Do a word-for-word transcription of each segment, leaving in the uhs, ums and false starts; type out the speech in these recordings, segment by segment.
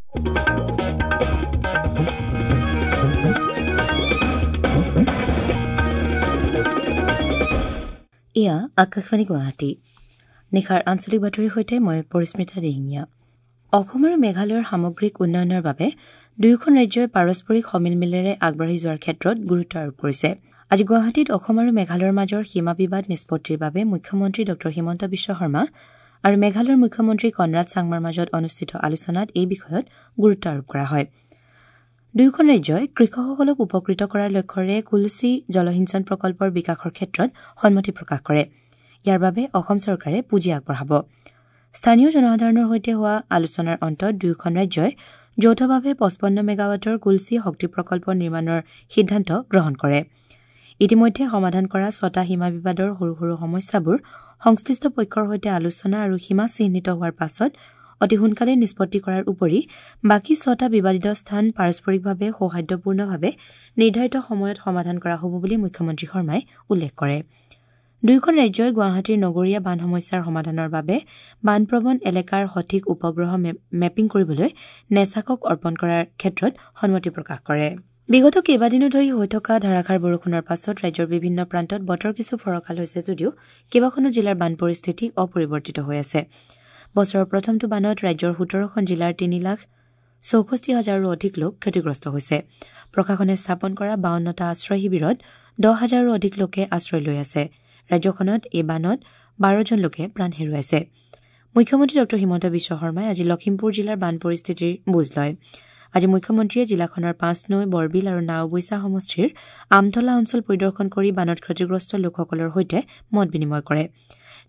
এয়া আকাশবাণী গুৱাহাটী। নিশাৰ আঞ্চলিক বাতৰিৰ সৈতে মই পৰিস্মিতা দিহিঙীয়া। অসম আৰু মেঘালয়ৰ সামগ্ৰিক উন্নয়নৰ বাবে দুয়োখন ৰাজ্যই পাৰস্পৰিক সমিলমিলেৰে আগবাঢ়ি যোৱাৰ ক্ষেত্ৰত গুৰুত্ব আৰোপ কৰিছে। আজি গুৱাহাটীত অসম আৰু মেঘালয়ৰ মাজৰ সীমা বিবাদ নিষ্পত্তিৰ বাবে মুখ্যমন্ত্ৰী ডঃ হিমন্ত বিশ্ব শৰ্মা আৰু মেঘালয়ৰ মুখ্যমন্ত্ৰী কনৰাড চাংমাৰ মাজত অনুষ্ঠিত আলোচনাত এই বিষয়ত গুৰুত্ব আৰোপ কৰা হয়। দুয়োখন ৰাজ্যই কৃষকসকলক উপকৃত কৰাৰ লক্ষ্যৰে কুলচি জলসিঞ্চন প্ৰকল্পৰ বিকাশৰ ক্ষেত্ৰত সন্মতি প্ৰকাশ কৰে। ইয়াৰ বাবে অসম চৰকাৰে পুঁজি আগবঢ়াব। স্থানীয় জনসাধাৰণৰ সৈতে হোৱা আলোচনাৰ অন্তত দুয়োখন ৰাজ্যই যৌথভাৱে পঁচপন্ন মেগাৱাটৰ কুলচি শক্তি প্ৰকল্প নিৰ্মাণৰ সিদ্ধান্ত গ্ৰহণ কৰে। ইতিমধ্যে সমাধান কৰা ছটা সীমা বিবাদৰ সৰু সৰু সমস্যাবোৰ সংশ্লিষ্ট পক্ষৰ সৈতে আলোচনা আৰু সীমা চিহ্নিত হোৱাৰ পাছত অতি সোনকালে নিষ্পত্তি কৰাৰ উপৰি বাকী ছটা বিবাদিত স্থান পাৰস্পৰিকভাৱে সৌহাৰ্দ্যপূৰ্ণভাৱে নিৰ্ধাৰিত সময়ত সমাধান কৰা হ'ব বুলি মুখ্যমন্ত্ৰী শৰ্মাই উল্লেখ কৰে। দুয়োখন ৰাজ্যই গুৱাহাটীৰ নগৰীয়া বান সমস্যাৰ সমাধানৰ বাবে বানপ্ৰৱণ এলেকাৰ সঠিক উপগ্ৰহ মেপিং কৰিবলৈ নেছাকক অৰ্পণ কৰাৰ ক্ষেত্ৰত সন্মতি প্ৰকাশ কৰে। বিগত কেইবাদিনো ধৰি হৈ থকা ধাৰাসাৰ বৰষুণৰ পাছত ৰাজ্যৰ বিভিন্ন প্ৰান্তত বতৰ কিছু ফৰকাল হৈছে যদিও কেইবাখনো জিলাৰ বান পৰিস্থিতি অপৰিৱৰ্তিত হৈ আছে। বছৰৰ প্ৰথমটো বানত ৰাজ্যৰ সোতৰখন জিলাৰ তিনি লাখ চৌষষ্ঠি হাজাৰৰো অধিক লোক ক্ষতিগ্ৰস্ত হৈছে। প্ৰশাসনে স্থাপন কৰা বাৱন্নটা আশ্ৰয় শিবিৰত দহ হাজাৰৰো অধিক লোকে আশ্ৰয় লৈ আছে। ৰাজ্যখনত এই বানত বাৰজন লোকে প্ৰাণ হেৰুৱাইছে। মুখ্যমন্ত্ৰী ডঃ হিমন্ত বিশ্ব শৰ্মাই আজি লখিমপুৰ জিলাৰ বান পৰিস্থিতিৰ বুজ লয়। আজি মুখ্যমন্ত্ৰীয়ে জিলাখনৰ পাঁচনৈ, বৰবিল আৰু নাওবৈচা সমষ্টিৰ আমতলা অঞ্চল পৰিদৰ্শন কৰি বানত ক্ষতিগ্ৰস্ত লোকসকলৰ সৈতে মত বিনিময় কৰে।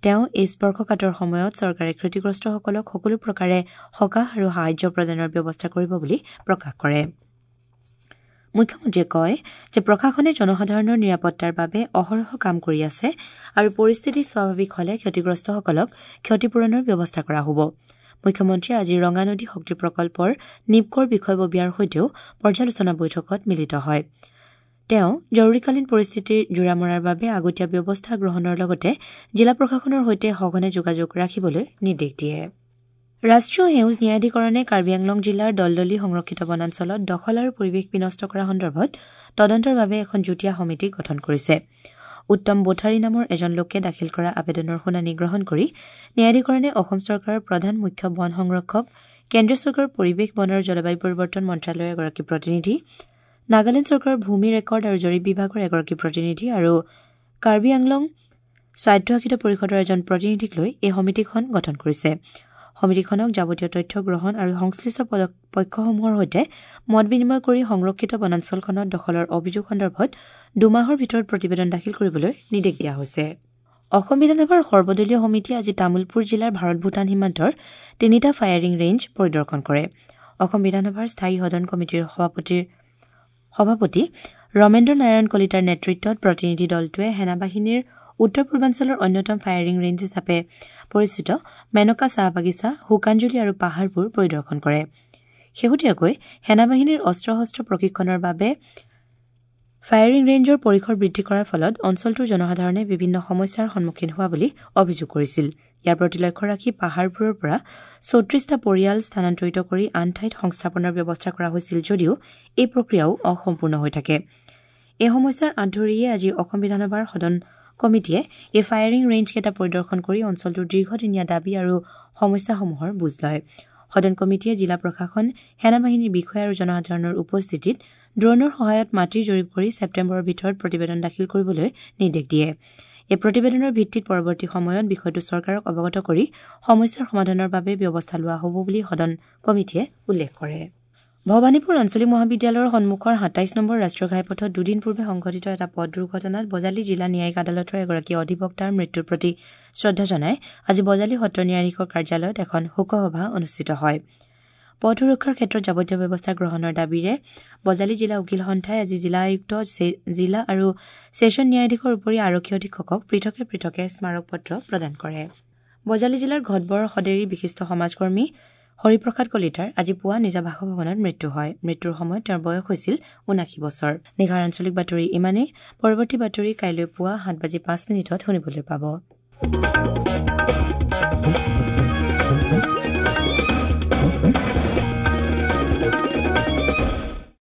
তেওঁ এই স্পৰ্শকাতৰ সময়ত চৰকাৰে ক্ষতিগ্ৰস্তসকলক সকলো প্ৰকাৰে সকাহ আৰু সাহায্য প্ৰদানৰ ব্যৱস্থা কৰিব বুলি প্ৰকাশ কৰে। মুখ্যমন্ত্ৰীয়ে কয় যে প্ৰশাসনে জনসাধাৰণৰ নিৰাপত্তাৰ বাবে অহৰহ কাম কৰি আছে আৰু পৰিস্থিতি স্বাভাৱিক হলে ক্ষতিগ্ৰস্তসকলক ক্ষতিপূৰণৰ ব্যৱস্থা কৰা হ'ব। মুখ্যমন্ত্ৰীয়ে আজি ৰঙানদী শক্তি প্ৰকল্পৰ নিপকৰ বিষয়ববীয়াৰ সৈতেও পৰ্যালোচনা বৈঠকত মিলিত হয়। তেওঁ জৰুৰীকালীন পৰিস্থিতিৰ জোৰা মৰাৰ বাবে আগতীয়া ব্যৱস্থা গ্ৰহণৰ লগতে জিলা প্ৰশাসনৰ সৈতে সঘনে যোগাযোগ ৰাখিবলৈ নিৰ্দেশ দিয়ে। ৰাষ্ট্ৰীয় সেউজ ন্যায়াধিকৰণে কাৰ্বি আংলং জিলাৰ দলদলি সংৰক্ষিত বনাঞ্চলত দখল আৰু পৰিৱেশ বিনষ্ট কৰা সন্দৰ্ভত তদন্তৰ বাবে এখন যুটীয়া সমিতি গঠন কৰিছে। উত্তম বোথাৰী নামৰ এজন লোকে দাখিল কৰা আবেদনৰ শুনানি গ্ৰহণ কৰি ন্যায়াধিকৰণে অসম চৰকাৰৰ প্ৰধান মুখ্য বন সংৰক্ষক, কেন্দ্ৰীয় চৰকাৰৰ পৰিৱেশ, বন আৰু জলবায়ু পৰিৱৰ্তন মন্ত্ৰালয়ৰ এগৰাকী প্ৰতিনিধি, নাগালেণ্ড চৰকাৰৰ ভূমি ৰেকৰ্ড আৰু জৰীপ বিভাগৰ এগৰাকী প্ৰতিনিধি আৰু কাৰ্বি আংলং স্বায়ত্তশাসিত পৰিষদৰ এজন প্ৰতিনিধিক লৈ এই সমিতিখন গঠন কৰিছে। সমিতিখনক যাৱতীয় তথ্য গ্ৰহণ আৰু সংশ্লিষ্ট পক্ষসমূহৰ সৈতে মত বিনিময় কৰি সংৰক্ষিত বনাঞ্চলখনত দখলৰ অভিযোগ সন্দৰ্ভত দুমাহৰ ভিতৰত প্ৰতিবেদন দাখিল কৰিবলৈ নিৰ্দেশ দিয়া হৈছে। অসম বিধানসভাৰ সৰ্বদলীয় সমিতিয়ে আজি তামুলপুৰ জিলাৰ ভাৰত ভূটান সীমান্তৰ তিনিটা ফায়াৰিং ৰেঞ্জ পৰিদৰ্শন কৰে। অসম বিধানসভাৰ স্থায়ী সদন কমিটিৰ সভাপতিৰ সভাপতি ৰমেন্দ্ৰ নাৰায়ণ কলিতাৰ নেতৃত্বত প্ৰতিনিধি দলটোৱে সেনাবাহিনীৰ উত্তৰ পূৰ্বাঞ্চলৰ অন্যতম ফায়াৰিং ৰেঞ্জ হিচাপে পৰিচিত মেনকা চাহ বাগিচা, শুকানজুলি আৰু পাহাৰবোৰ পৰিদৰ্শন কৰে। শেহতীয়াকৈ সেনাবাহিনীৰ অস্ত্ৰ শস্ত্ৰ প্ৰশিক্ষণৰ বাবে ফায়াৰিং ৰেঞ্জৰ পৰিসৰ বৃদ্ধি কৰাৰ ফলত অঞ্চলটোৰ জনসাধাৰণে বিভিন্ন সমস্যাৰ সন্মুখীন হোৱা বুলি অভিযোগ কৰিছিল। ইয়াৰ প্ৰতি লক্ষ্য ৰাখি পাহাৰবোৰৰ পৰা চৌত্ৰিশটা পৰিয়াল স্থানান্তৰিত কৰি আন ঠাইত সংস্থাপনৰ ব্যৱস্থা কৰা হৈছিল যদিও এই প্ৰক্ৰিয়াও অসম্পূৰ্ণ হৈ থাকে। এই সমস্যাৰ আঁত ধৰিয়ে আজি অসম বিধানসভাৰ সদন কমিটিয়ে এই ফায়াৰিং ৰেঞ্জকেইটা পৰিদৰ্শন কৰি অঞ্চলটোৰ দীৰ্ঘদিনীয়া দাবী আৰু সমস্যাসমূহৰ বুজ লয়। সদন কমিটিয়ে জিলা প্ৰশাসন, সেনাবাহিনীৰ বিষয়া আৰু জনসাধাৰণৰ উপস্থিতিত ড্ৰোনৰ সহায়ত মাটিৰ জৰীপ কৰি ছেপ্টেম্বৰৰ ভিতৰত প্ৰতিবেদন দাখিল কৰিবলৈ নিৰ্দেশ দিয়ে। এই প্ৰতিবেদনৰ ভিত্তিত পৰৱৰ্তী সময়ত বিষয়টো চৰকাৰক অৱগত কৰি সমস্যাৰ সমাধানৰ বাবে ব্যৱস্থা লোৱা হ'ব বুলি সদন কমিটিয়ে উল্লেখ কৰে। ভৱানীপুৰ আঞ্চলিক মহাবিদ্যালয়ৰ সন্মুখৰ সাতাইছ নম্বৰ ৰাষ্ট্ৰীয় ঘাইপথত দুদিন পূৰ্বে সংঘটিত এটা পথ দুৰ্ঘটনাত বজালী জিলা ন্যায়িক আদালতৰ এগৰাকী অধিবক্তাৰ মৃত্যুৰ প্ৰতি শ্ৰদ্ধা জনাই আজি বজালী সত্ৰ ন্যায়াধীশৰ কাৰ্যালয়ত এখন শোকসভা অনুষ্ঠিত হয়। পথ সুৰক্ষাৰ ক্ষেত্ৰত যাৱতীয় ব্যৱস্থা গ্ৰহণৰ দাবীৰে বজালী জিলা উকীল সন্থাই আজি জিলা আয়ুক্ত, জিলা আৰু ছেছন ন্যায়াধীশৰ উপৰি আৰক্ষী অধীক্ষকক পৃথকে পৃথকে স্মাৰকপত্ৰ প্ৰদান কৰে। বজালী জিলাৰ ঘটবৰ সদেৰীৰ বিশিষ্ট সমাজকৰ্মী হৰিপ্ৰসাদ কলিতাৰ আজি পুৱা নিজা বাসভৱনত মৃত্যু হয়। মৃত্যুৰ সময়ত তেওঁৰ বয়স হৈছিল ঊনাশী বছৰ। নিশাৰ আঞ্চলিক বাতৰি ইমানেই। পৰৱৰ্তী বাতৰি কাইলৈ পুৱা সাত বাজি পাঁচ মিনিটত শুনিবলৈ পাব।